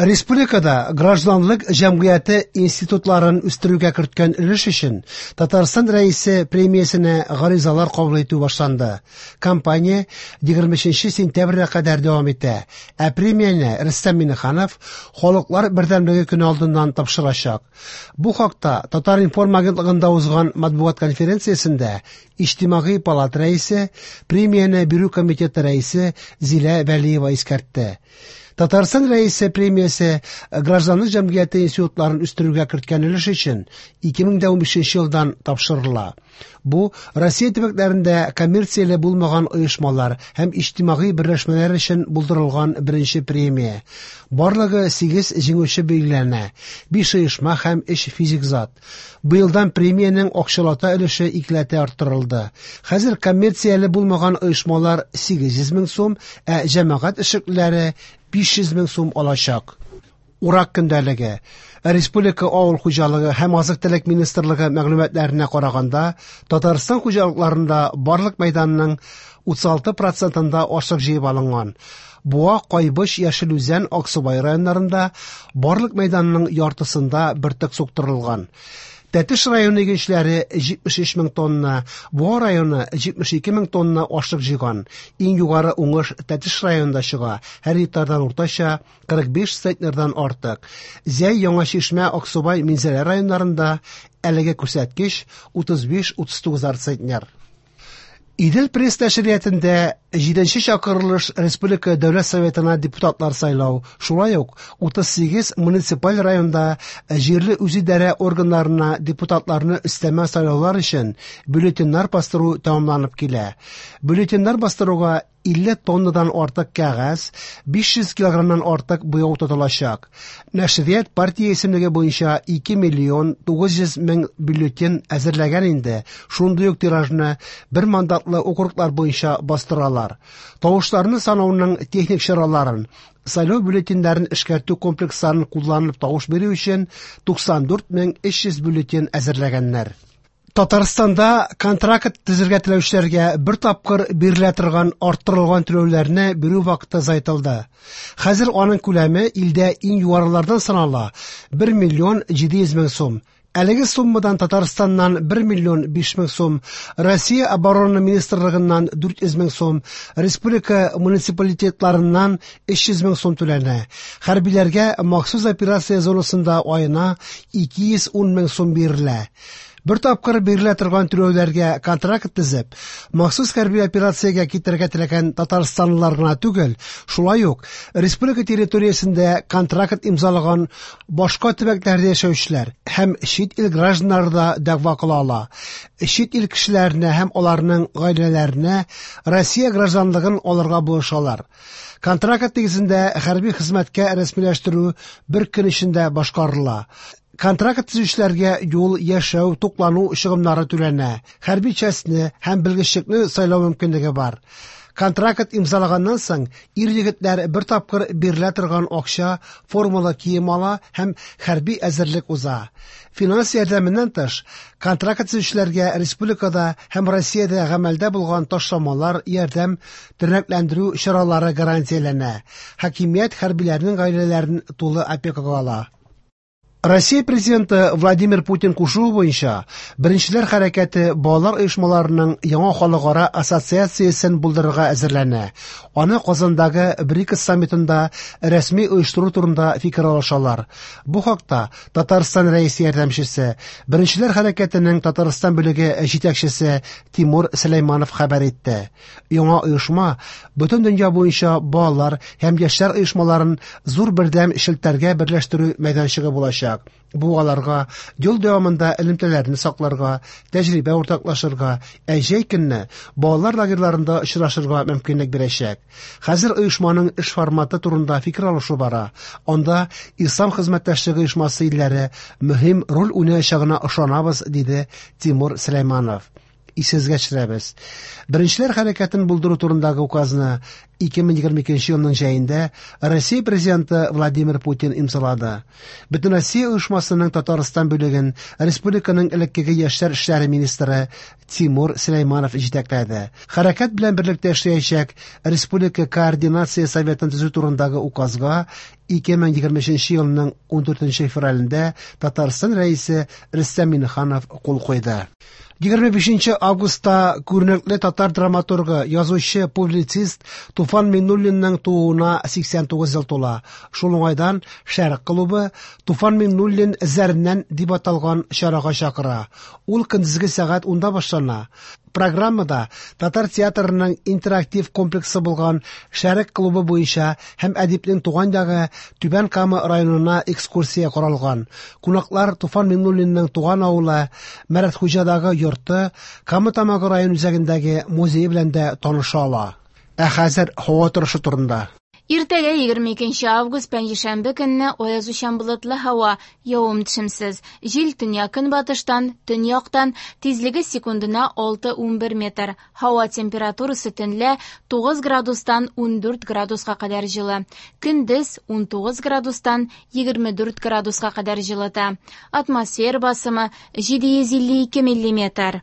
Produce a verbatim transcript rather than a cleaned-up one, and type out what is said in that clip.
Республикада гражданлык җәмгыяте институтларын үстерүгә керткән өлеш өчен Татарстан Рәисе премиясенә гаризалар кабул итү башланды. Кампания егерме өченче сентябрьгә кадәр дәвам итә. Ә премияне Рөстәм Миңнеханов Халыклар бердәмлеге көне алдыннан тапшырачак. Бу хакта Татар-информ агентлыгында узган матбугат конференциясендә Иҗтимагый палата рәисе, премияне бирү комитеты рәисе Зилә Вәлиева искәртте. Татарстан Рәисе премиясе гражданлык җәмгыяте институтларын үстерүгә керткән өлеш өчен ике мең дә унбишенче елдан тапшырыла. Бу Россия төбәкләрендә коммерцияле булмаган оешмалар һәм иҗтимагый берләшмәләр өчен булдырылган беренче премия. Барлыгы сигез җиңүче билгеләнә, биш оешма һәм өч физик зат. Быелдан премиянең акчалата өлеше икеләтә арттырылды. Хәзер коммерцияле булмаган оешмалар сигез йөз мең сум, ә җәмәгать эшлеклеләре биш йөз мең сум алачак. Урак көндәлеге. Республика авыл хуҗалыгы һәм азык-төлек министрлыгы мәгълүматларына караганда, Татарстан хуҗалыкларында барлык мәйданның утыз алты процентында ашлык җыеп алынган. Буа, Кайбыч, Яшел Үзән, Аксубай районнарында барлык мәйданның яртысында бөртек суктырылган. Тәтеш районы игенчеләре җитмеш өч мең тонна, Буа районы җитмеш ике мең тонна ашлык җыйган. Иң югары уңыш Тәтеш районында чыга, һәр гектардан уртача кырык биш центнердан артык. Зәй, Яңа Чишмә, Аксубай, Минзәлә районнарында әлеге күрсәткеч утыз биш утыз тугыз центнер. Идел пресс нәшриятендә җиденче чакырылыш Республика Дәүләт Советына депутатлар сайлау, шулай ук утыз сигез муниципаль районда җирле үзидарә органнарына депутатларны өстәмә сайлаулар өчен бюллетеньнәр бастыру тәмамланып килә. Бюллетеньнәр бастыруга илле тоннадан артык кәгазь, биш йөз килограммнан артык буяу тотылачак. Нәшрият партия исемлеге буенча ике миллион тугыз йөз мең бюллетень әзерләгән инде. Шундый ук тиражны бер мандатлы округлар буенча бастыралар. Тавышларны санауның техник чараларын, сайлау бюллетеньнәрен эшкәртү комплексларын кулланып тавыш бирү өчен туксан дүрт мең өч йөз бюллетень әзерләгәннәр. Татарстанда контракт төзергә теләүчеләргә бер тапкыр бирелә торган арттырылган түләүләрне бирү вакыты озайтылды. Хәзер аның күләме илдә иң югарылардан санала бер миллион җиде йөз мең сум. Әлеге суммадан Татарстаннан бер миллион биш мең сум, Россия Оборона Министрлыгыннан дүрт йөз мең сум, республика муниципалитетларыннан өч йөз мең сум түләнә. Хәрбиләргә махсус операция зонасында аена ике йөз ун мең сум бирелә. Бер тапкыр бирелә торган түләүләргә контракт төзеп, махсус хәрби операциягә китәргә теләгән татарстанлылар гына түгел, шулай ук республика территориясендә контракт имзалаган башка төбәкләрдә яшәүчеләр һәм чит ил гражданнары да дәгъва кыла ала. Чит ил кешеләренә һәм аларның гаиләләренә Россия гражданлыгын алырга булышалар. Контракт нигезендә хәрби хезмәткә рәсмиләштерү бер көн эчендә башкарыла. Контракт төзүчеләргә юл, яшәү, туклану чыгымнары түләнә. Хәрби частьне һәм белгечлекне сайлау мөмкинлеге бар. Контракт имзалаганнан соң ир-егетләр бер тапкыр бирелә торган акча, формалы кием ала һәм хәрби әзерлек уза. Финанс ярдәменнән тыш, контракт төзүчеләргә республикада һәм Россиядә гамәлдә булган ташламалар, ярдәм, тернәкләндерү чаралары гарантияләнә. Хакимият хәрбиләрнең гаиләләрен тулы опекага ала. Россия президенты Владимир Путин кушуы буенча Беренчеләр хәрәкәте балалар оешмаларының яңа халыкара ассоциациясен булдырырга әзерләнә. Аны Казандагы БРИКС саммитында рәсми оештыру турында фикер алышалар. Бу хакта Татарстан рәисе ярдәмчесе, Беренчеләр хәрәкәтенең Татарстан бүлеге җитәкчесе Тимур Сөләйманов хәбәр итте. Яңа оешма бөтен дөнья буенча балалар һәм яшьләр оешмаларын зур бердәм челтәргә берләштерү мәйданчыгы булачак. Бу аларга юл дәвамында элемтәләрне сакларга, тәҗрибә уртаклашырга, ә җәй көнне балалар лагерьларында очрашырга мөмкинлек бирәчәк. Хәзер оешманың эш форматы турында фикер алышу бара. Анда Ислам хезмәттәшлеге оешмасы илләре мөһим роль уйнаячагына ышанабыз, диде Тимур Сөләйманов. Исегезгә төшерәбез. Беренчеләр хәрәкәтен булдыру турындагы указны ике мең егерме икенче елның җәендә Россия президенты Владимир Путин имзалады. Бөтенроссия оешмасының Татарстан бүлеген республиканың элеккеге яшьләр эшләре министры Тимур Сөләйманов җитәкләде. Хәрәкәт белән берлектә эшләячәк Республика координация советын төзү турындагы указга ике мең егерме өченче елның ундүртенче февралендә Татарстан Рәисе Рөстәм Миңнеханов кул куйды. Егерме бишенче августта күренекле татар драматургы, язучы, публицист Туфан Миңнуллинның тууына сиксән тугыз ел тула. Шул уңайдан Шәрык клубы Туфан Миңнуллин эзләреннән дип аталган чарага чакыра. Ул көндезге сәгать унда башлана. Программада татар театрының интерактив комплексы булган Шәрык клубы буенча һәм әдипнең туган ягы Түбән Кама районына экскурсия каралган. Кунаклар Туфан Миңнуллинның туган авылы Мәрәтхуҗадагы йорты, Кама Тамагы район үзәгендәге музее белән дә таныша ала. Ә хәзер һава торышы турында. Иртәгә егерме икенче август пәнҗешәмбе көнне аязучан болытлы һава, явым-төшемсез. Җил төньяк-көнбатыштан, төньяктан, тизлеге секундына алты унбер метр. Һава температурасы төнлә тугыз градустан ундүрт градуска кадәр җылы. Көндез унтугыз градустан егерме дүрт градуска кадәр җылыта. Атмосфера басымы җиде йөз илле ике миллиметр.